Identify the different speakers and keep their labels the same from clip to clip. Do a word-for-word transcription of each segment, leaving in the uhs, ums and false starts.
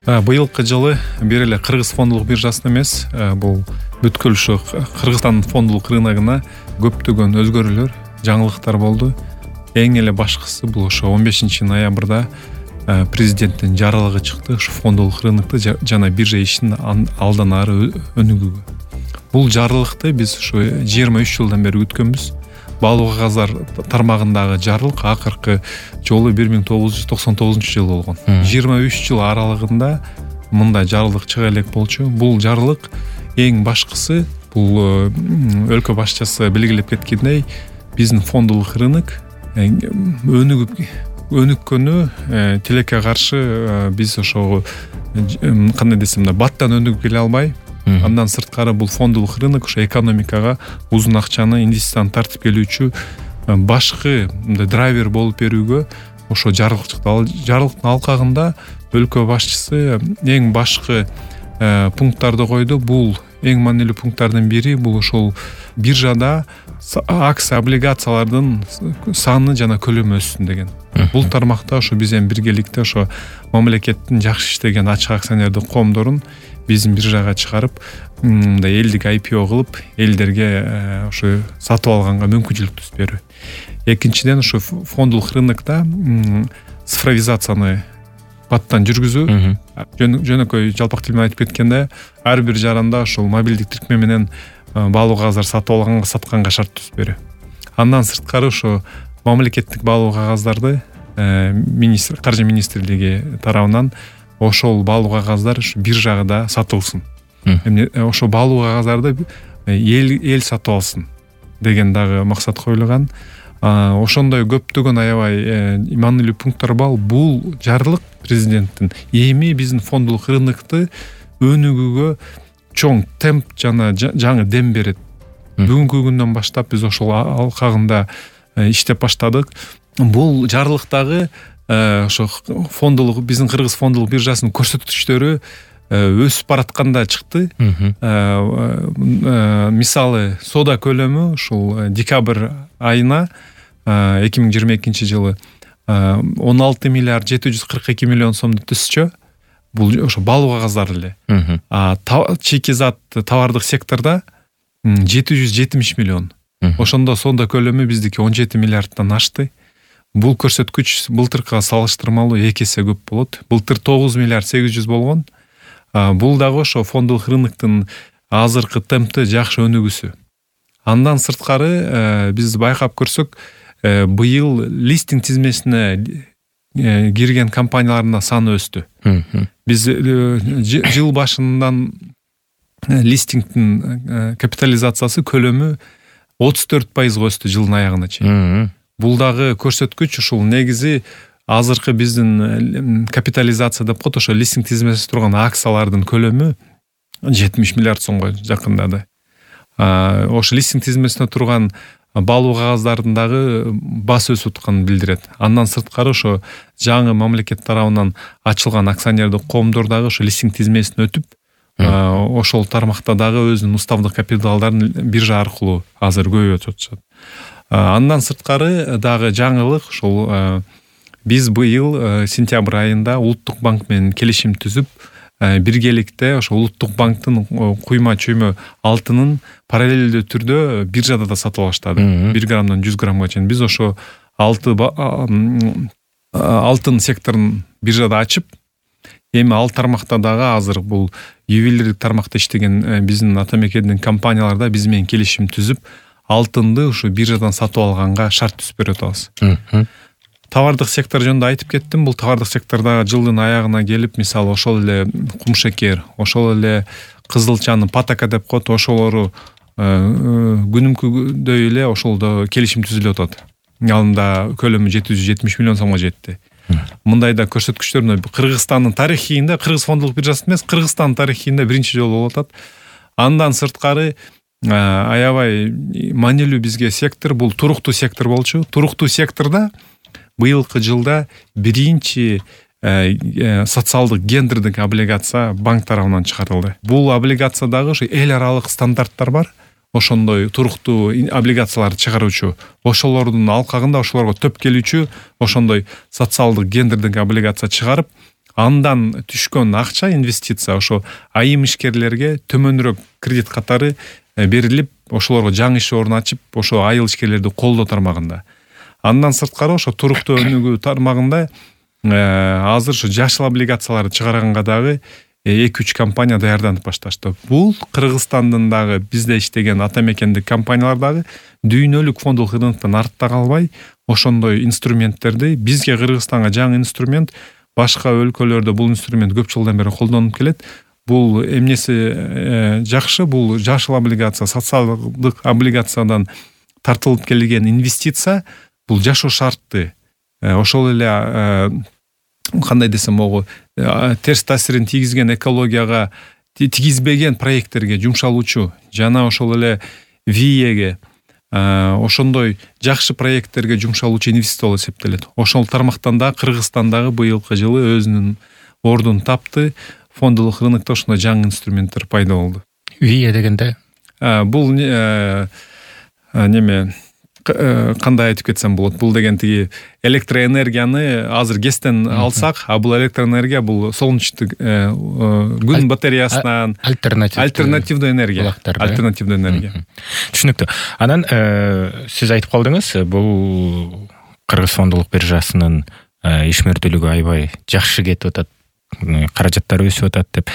Speaker 1: Быйылкы жылы бир эле Кыргыз фондулук биржасына эмес, бул бүткүл ушу Кыргызстан фондулук рыногуна көптөгөн өзгөрүүлөр, жаңылыктар болду. Эң эле башкысы бул ошо он бешинчи ноябрда президенттин жарлыгы чыкты ушу фондулук рынокто жана биржа ишин алдан ары өнүгүүгө. Бул жарлыкты биз ушу жыйырма үч жылдан бери күткөнбүз. Баалуу кагаздар тармагындагы жарлык акыркы жолу бир миң тогуз жүз токсон тогузунчу жылы болгон. жыйырма үч жыл аралыгында мындай жарлык чыга элек болчу. Бул жарлык эң башкысы бул өлкө башчысы белгилеп кеткендей, биздин фондулук рынок өнүгүп өнүккөнү тилекке каршы биз ошого кандай десем да баттан өнүгүп келе албай, андан сырткары бул фондулук рынок ошо экономикага узун акчаны инвестицияны тартып келүүчү башкы мындай драйвер болуп берүүгө ошо жарлык чыкты. Ал жарлыктын алкагында өлкө башчысы эң башкы пункттарды койду. Бул эң маанилүү пункттардын бири бул ошол биржада акция облигациялардын саны жана көлөмү өссүн деген. Бул тармакта ошо биз эми биргеликте ошо мамлекеттин жакшы иштеген ачык акционердик коомдорун биздин биржага чыгарып, мындай элдик ай пи о кылып, элдерге ошо сатып алганга мүмкүнчүлүк түзүп берүү. Экинчиден, ошо фондулук рынокто цифровизацияны баттан жүргүзүү. Жөнөкөй жалпак тил менен айтып кеткенде, ар бир жаранда ошол мобилдик тиркме менен баалуу кагаздар сатып алганга, сатканга шарт түзүп берүү. Андан сырткары ошо мамлекеттик баалуу кагаздарды министр, каржы министрлиги тарабынан ошол баалуу кагаздар биржада сатылсын. Эми ошо баалуу кагаздарды эл эл сатып алсын деген дагы максат коюлган. Ошондой көптөгөн аябай маанилүү пункттар бар. Бул жарлык президенттин эми биздин фондулук рынокто өнүгүүгө чоң темп жана жаңы дем берет. Бүгүнкү күндөн баштап биз ошол алкагында иштеп баштадык. Бул жарлыктагы ошо фондулук биздин Кыргыз фондулук биржасынын көрсөткүчтөрү өсүп баратканда чыкты. Мисалы, соода көлөмү ушул декабрь айына эки миң жыйырма экинчи жылы он алты миллиард жети жүз кырк эки миллион сомду түзчү. Бул ошо баалуу кагаздар эле. А чийки зат товардык секторда жети жүз жетимиш миллион. Ошондо соода көлөмү биздики он жети миллиардтан ашты. Бул көрсөткүч былтыркыга салыштырмалуу эки эсе көп болот. Былтыр тогуз миллиард сегиз жүз болгон. Бул дагы ошо фондулук рыноктун азыркы темпти жакшы өнүгүүсү. Андан сырткары биз байкап көрсөк, быйыл листинг тизмесине кирген компаниялардын саны өстү. Биз жыл башынан листингдин капитализациясы көлөмү отуз төрт пайызга өстү жылдын аягына чейин. Бул дагы көрсөткүч ушул негизи азыркы биздин капитализация деп коет, ошо листинг тизмесинде турган акциялардын көлөмү жетимиш миллиард сомго жакындады. Ошо листинг тизмесинде турган баалуу кагаздардын дагы басы өсүп атканын билдирет. Андан сырткары ошо жаңы мамлекет тарабынан ачылган акционердик коомдор дагы ошо листинг тизмесине өтүп, ошол тармакта дагы өзүнүн уставдык капиталдарын биржа аркылуу азыр көбөйтүп атышат. Андан сырткары дагы жаңылык ошол биз быйыл сентябрь айында Улуттук банк менен келишим түзүп, биргеликте ошо Улуттук банктын куйма чөймө алтынын параллелдүү түрдө биржада да сатып алыштады. бир граммдан жүз граммга чейин. Биз ошо алтын секторун биржада ачып, эми ал тармакта дагы азыр бул ювелирдик тармакта иштеген биздин ата мекендин компанияларда биз менен келишим түзүп, алтынды ушу биржадан сатып алганга шарт түзүп берип атабыз. Товардык сектор жөнүндө айтып кеттим. Бул товардык секторда жылдын аягына келип, мисалы, ошол эле кумшекер, ошол эле кызылчанын патака деп коет, ошолору күнүмкүдөй эле ошолдо келишим түзүлүп атат. Алында көлөмү жети жүз жетимиш миллион сомго жетти. Мындай да көрсөткүчтөр Кыргызстандын тарыхында, Кыргыз фондулук биржасы эмес, Кыргызстандын тарыхында биринчи жолу болуп атат. Андан сырткары аябай маанилүү бизге сектор бул туруктуу сектор болчу. Туруктуу секторда быйылкы жылда биринчи социалдык гендердик облигация банк тарабынан чыгарылды. Бул облигациядагы ошо эл аралык стандарттар бар. Ошондой туруктуу облигацияларды чыгаруучу, ошолордун алкагында ошолорго төп келүүчү ошондой социалдык гендердик облигация чыгарып, андан түшкөн акча инвестиция ошо айым ишкерлерге төмөнүрөөк кредит катары берилип, ошолорго жаңы иш орун ачып, ошо айыл ишкерлерди колдоо тармагында. Андан сырткары ошо туруктуу өнүгүү тармагында азыр ушу жашыл облигацияларды чыгарганга дагы эки үч компания даярданып башташты. Бул Кыргызстандын дагы бизде иштеген ата мекендик компаниялар дагы дүйнөлүк фондулук рыноктон артта калбай, ошондой инструменттерди бизге Кыргызстанга жаңы инструмент, башка өлкөлөрдө бул инструмент көп жылдан бери колдонулуп келет. Бул эмнеси жакшы, бул жашыл облигация, социалдык облигациядан тартылып келген инвестиция, бул жашоо шартты. Ошол эле кандай десем могу терс таасирин тийгизген экологияга тийгизбеген проекттерге жумшалуучу жана ошол эле виеге ошондой жакшы проекттерге жумшалуучу инвестиция болуп эсептелет. Ошол тармактан да Кыргызстандагы быйылкы жылы өзүнүн ордун тапты. Фондулук рынокто ошондой жаңы инструменттер пайда болду.
Speaker 2: вие дегенде
Speaker 1: бул неме кандай айтып кетсем болот? Бул деген тиги электроэнергияны азыр ГЭСтен алсак, а бул электроэнергия бул солнечный күн батареясынан альтернативдүү энергия. Альтернативдүү энергия.
Speaker 2: Түшүнүктүү. Анан сиз айтып калдыңыз, бул Кыргыз фондулук биржасынын ишмердүүлүгү аябай жакшы кетип атат, каражаттар өсүп атат деп.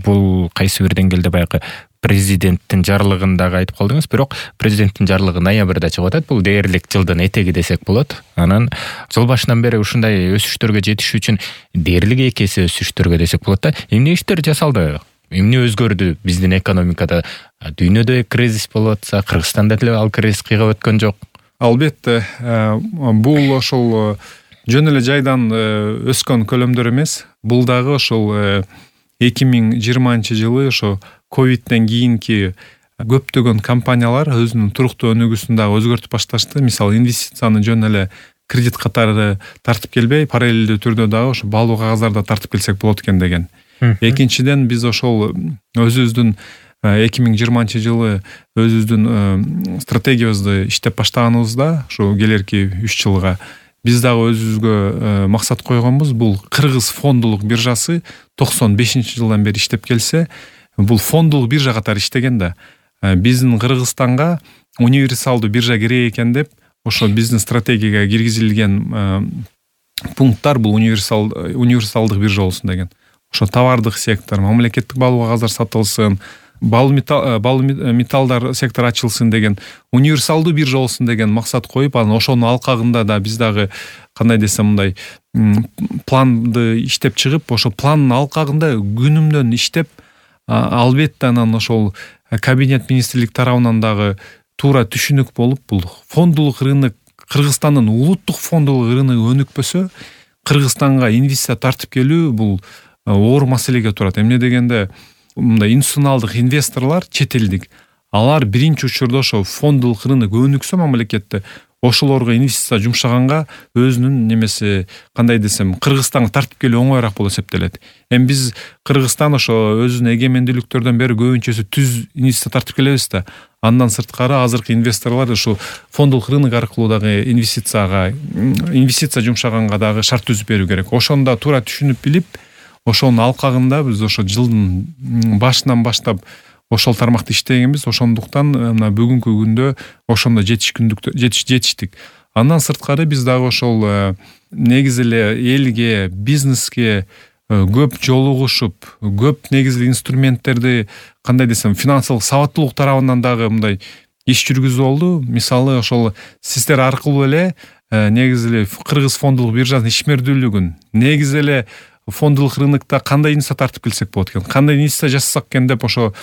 Speaker 2: Бул кайсы бир деңгээлде баягы президенттин жарлыгындагы айтып калдыңыз, бирок президенттин жарлыгы ноябрда чыгып атат. Бул дээрлик жылдын этеги десек болот. Анан жыл башынан бери ушундай өсүштөргө жетиш үчүн дээрлик эки эсе өсүштөргө десек болот да. Эмне иштер жасалды? Эмне өзгөрдү биздин экономикада? Дүйнөдө кризис болуп атса, Кыргызстанда деле ал кризис кыйгап өткөн жок.
Speaker 1: Албетте, бул ошол жөн эле жайдан өскөн көлөмдөр эмес. Бул дагы ошол эки миң жыйырманчы жылы ошо ковидтен кийинки көптөгөн компаниялар өзүнүн туруктуу өнүгүүсүн дагы өзгөртүп башташты. Мисалы, инвестицияны жөн эле кредит катары тартып келбей, параллелдүү түрдө дагы ошо баалуу кагаздарды тартып келсек болот экен деген. Экинчиден, биз ошол өзүбүздүн эки миң жыйырманчы жылы өзүбүздүн стратегиябызды иштеп баштаганыбызда, ошо келерки үч жылга биз дагы өзүбүзгө максат койгонбуз. Бул Кыргыз фондулук биржасы токсон бешинчи жылдан бери иштеп келсе, бул фондулук биржа катары иштеген да. Биздин Кыргызстанга универсалдуу биржа керек экен деп, ошо биздин стратегияга киргизилген пункттар бул универсал универсалдык биржа болсун деген. Ошо товардык сектор, мамлекеттик баалуу кагаздар сатылсын, баалуу металлдар сектору ачылсын деген, универсалдуу биржа болсун деген максат коюп, анан ошонун алкагында да биз дагы кандай десем мындай планды иштеп чыгып, ошо пландын алкагында күнүмдөн иштеп, албетте анан ошол кабинет министрлик тарабынан дагы туура түшүнүк болуп, бул фондулук рынок, Кыргызстандын улуттук фондулук рыногу өнүкпөсө, Кыргызстанга инвестиция тартып келүү бул оор маселеге турат. Эмне дегенде, мындай институционалдык инвесторлор, чет элдик, алар биринчи учурда ошо фондулук рынок өнүксө мамлекетте, ошолорго инвестиция жумшаганга өзүнүн немеси, кандай десем, Кыргызстанга тартып келүү оңоюраак болуп эсептелет. Эми биз Кыргызстан ошо өзүнүн эгемендүүлүктөрдөн бери көбүнчөсү түз инвестиция тартып келебиз да. Андан сырткары азыркы инвесторлор ошо фондулук рынок аркылуу дагы инвестицияга, инвестиция жумшаганга дагы шарт түзүп берүү керек. Ошондо туура түшүнүп билип, ошонун алкагында биз ошо жылдын башынан баштап ошол тармакта иштегенбиз. Ошондуктан мына бүгүнкү күндө ошондо жетишкүндүк жетиштик. Андан сырткары биз дагы ошол негизи эле элге, бизнеске көп жолугушуп, көп негизи инструменттерди, кандай десем, финансылык сабаттуулук тарабынан дагы мындай иш жүргүзүү болду. Мисалы, ошол сиздер аркылуу эле негизи эле Кыргыз фондулук биржасынын ишмердүүлүгүн, негизи эле фондулук рынокто кандай инвестиция тартып келсек болот экен, кандай инвестиция жасасак экен деп ошо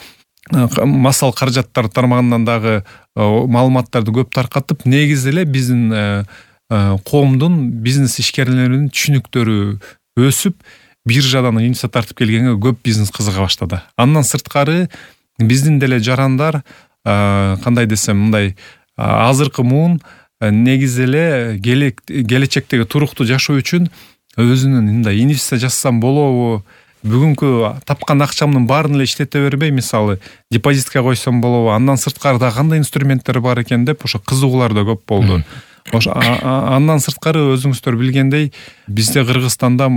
Speaker 1: масал каражаттар тармагынан дагы маалыматтарды көп таркатып, негизи эле биздин коомдун, бизнес ишкерлеринин түшүнүктөрү өсүп, биржадан инвестиция тартып келгенге көп бизнес кызыга баштады. Андан сырткары биздин деле жарандар, кандай десем, мындай азыркы муун негизи эле келечектеги туруктуу жашоо үчүн өзүнүн мындай инвестиция жасасам болобу, бүгүнкү тапкан акчамдын баарын эле иштете бербей, мисалы, депозитке койсом болобу, андан сырткары да кандай инструменттер бар экен деп ошо кызыгуулар да көп болду. Ошо андан сырткары өзүңүздөр билгендей, бизде Кыргызстанда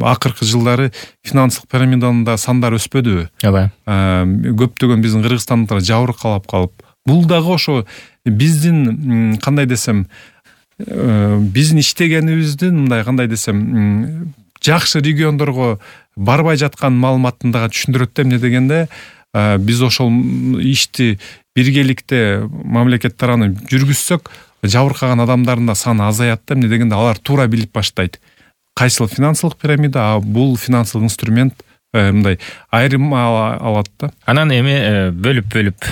Speaker 1: акыркы жылдары финансылык пирамидада сандар өспөдүбү?
Speaker 2: Ооба.
Speaker 1: Көптөгөн биздин кыргызстандыктар жабыркалап калып, бул дагы ошо биздин кандай десем, биздин иштегенибиздин мындай кандай десем, жакшы региондорго барбай жаткан маалыматын дагы түшүндүрөт да. Эмне дегенде, биз ошол ишти биргеликте мамлекет тарабынан жүргүзсөк, жабыркаган адамдардын да саны азаят да. Эмне дегенде, алар туура билип баштайт. Кайсыл финансылык пирамида, а бул финансылык инструмент мындай айрым алат да.
Speaker 2: Анан эми бөлүп-бөлүп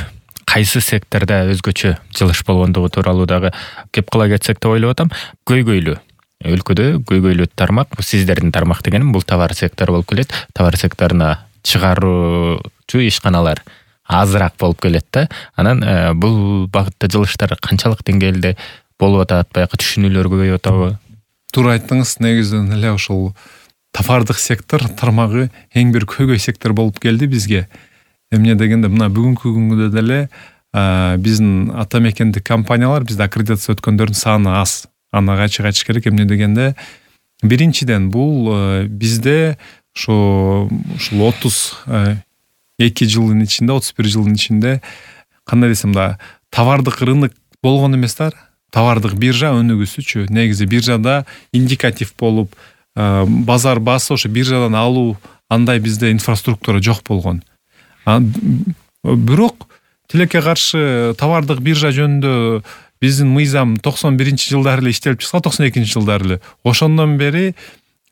Speaker 2: кайсы секторда өзгөчө жылыш болгондугу тууралуу дагы кеп кыла кетсек деп ойлоп атам. Көйгөйлүү өлкөдө көйгөйлүү тармак, сиздердин тармак дегеним бул товар сектору болуп келет. Товар секторуна чыгаруучу ишканалар азыраак болуп келет да. Анан бул багытта жылыштар канчалык деңгээлде болуп атат, баягы түшүнүүлөр көбөйүп атабы?
Speaker 1: Туура айттыңыз. Негизинен эле ошол товардык сектор тармагы эң бир көйгөй сектор болуп келди бизге. Эмне дегенде, мына бүгүнкү күнгө деле биздин ата мекендик компаниялар, бизде аккредитация өткөндөрдүн саны аз. Аны ачык айтыш керек. Эмне дегенде, биринчиден бул бизде ошо ушул отуз эки жылдын ичинде, отуз бир жылдын ичинде кандай десем да, товардык рынок болгон эмес да. Товардык биржа өнүгүүсүчү. Негизи биржада индикатив болуп, базар басы ошо биржадан алуу, андай бизде инфраструктура жок болгон. Бирок тилекке каршы товардык биржа жөнүндө биздин мыйзам токсон биринчи жылдары эле иштелип чыкса, токсон экинчи жылдары эле. Ошондон бери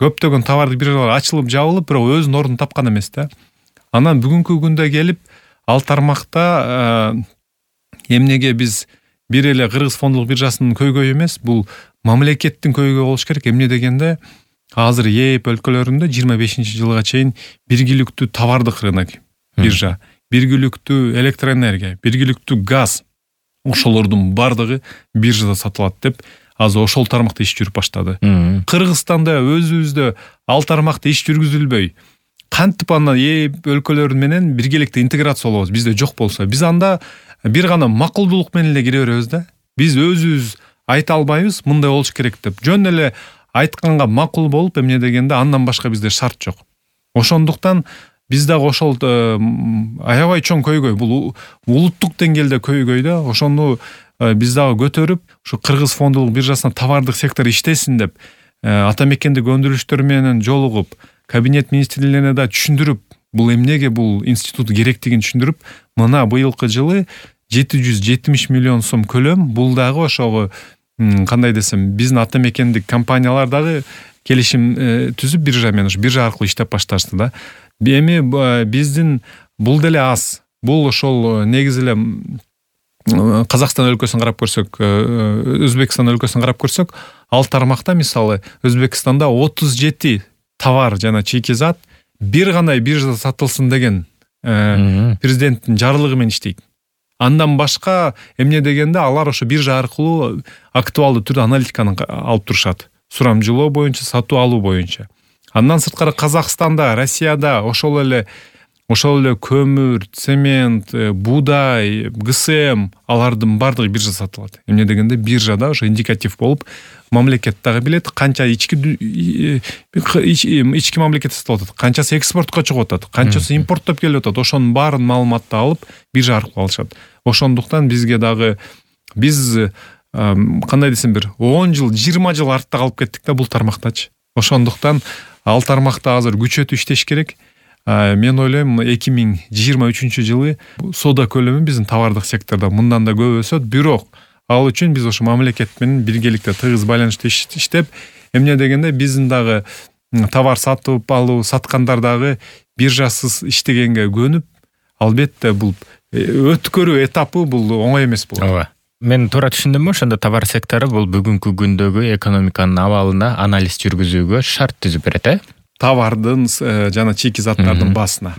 Speaker 1: көптөгөн товардык биржалар ачылып жабылып, бирок өзүнүн ордун тапкан эмес да. Анан бүгүнкү күндө келип, ал тармакта эмнеге биз бир эле Кыргыз фондулук биржасынын көйгөйү эмес, бул мамлекеттин көйгөйү болуш керек. Эмне дегенде, азыр ЕЭП өлкөлөрүндө жыйырма бешинчи жылга чейин биргиликтүү товардык рынок биржа, биргиликтүү электроэнергия, биргиликтүү газ, ошолордун бардыгы биржада сатылат деп, азыр ошол тармакта иш жүрүп баштады. Кыргызстанда өзүбүздө ал тармакта иш жүргүзүлбөй, кантип андан ЕЭП өлкөлөрү менен биргеликте интеграция болобуз? Бизде жок болсо, биз анда бир гана макулдуулук менен эле кире беребиз да. Биз өзүбүз айта албайбыз, мындай болуш керек деп. Жөн эле айтканга макул болуп, эмне дегенде, андан башка бизде шарт жок. Ошондуктан биз дагы ошол аябай чоң көйгөй, бул улуттук деңгээлде көйгөй да. Ошону биз дагы көтөрүп, ушу Кыргыз фондулук биржасына товардык сектор иштесин деп, ата мекендик өндүрүштөр менен жолугуп, кабинет министрлигине да түшүндүрүп, бул эмнеге бул институт керектигин түшүндүрүп, мына быйылкы жылы жети жүз жетимиш миллион сом көлөм, бул дагы ошого кандай десем, биздин ата мекендик компаниялар дагы келишим түзүп биржа менен, ушу биржа аркылуу иштеп башташты да. Эми биздин бул деле аз. Бул ошол негизи эле Казакстан өлкөсүн карап көрсөк, Өзбекстан өлкөсүн карап көрсөк, ал тармакта мисалы Өзбекстанда отуз жети товар жана чийки зат бир гана биржада сатылсын деген президенттин жарлыгы менен иштейт. Андан башка эмне дегенде, алар ошо биржа аркылуу актуалдуу түрдө аналитиканы алып турушат. Сурамжылоо боюнча, сатуу алуу боюнча. Андан сырткары Казакстанда, Россияда ошол эле ошол эле көмүр, цемент, буудай, ГСМ алардын бардыгы биржада сатылат. Эмне дегенде, биржада ошо индикатив болуп, мамлекет дагы билет канча ички ички мамлекет сатып атат, канчасы экспортко чыгып атат, канчасы импорттоп келип атат, ошонун баарын маалыматты алып биржа аркылуу алышат. Ошондуктан бизге дагы биз кандай десем, бир он жыл, жыйырма жыл артта калып кеттик да бул тармактачы. Ошондуктан ал тармакта азыр күчөтүп иштеш керек. Мен ойлойм, эки миң жыйырма үчүнчү жылы соода көлөмү биздин товардык сектордо мындан да көп өсөт. Бирок ал үчүн биз ошо мамлекет менен биргеликте тыгыз байланышта иштеп, эмне дегенде, биздин дагы товар сатып алуу, саткандар дагы биржасыз иштегенге көнүп, албетте бул өткөрүү этапы бул оңой эмес болот.
Speaker 2: Ооба. Мен туура түшүндүмбү? Ошондо товар сектору бул бүгүнкү күндөгү экономиканын абалына анализ жүргүзүүгө шарт түзүп берет, э?
Speaker 1: Товардын жана чийки заттардын басына.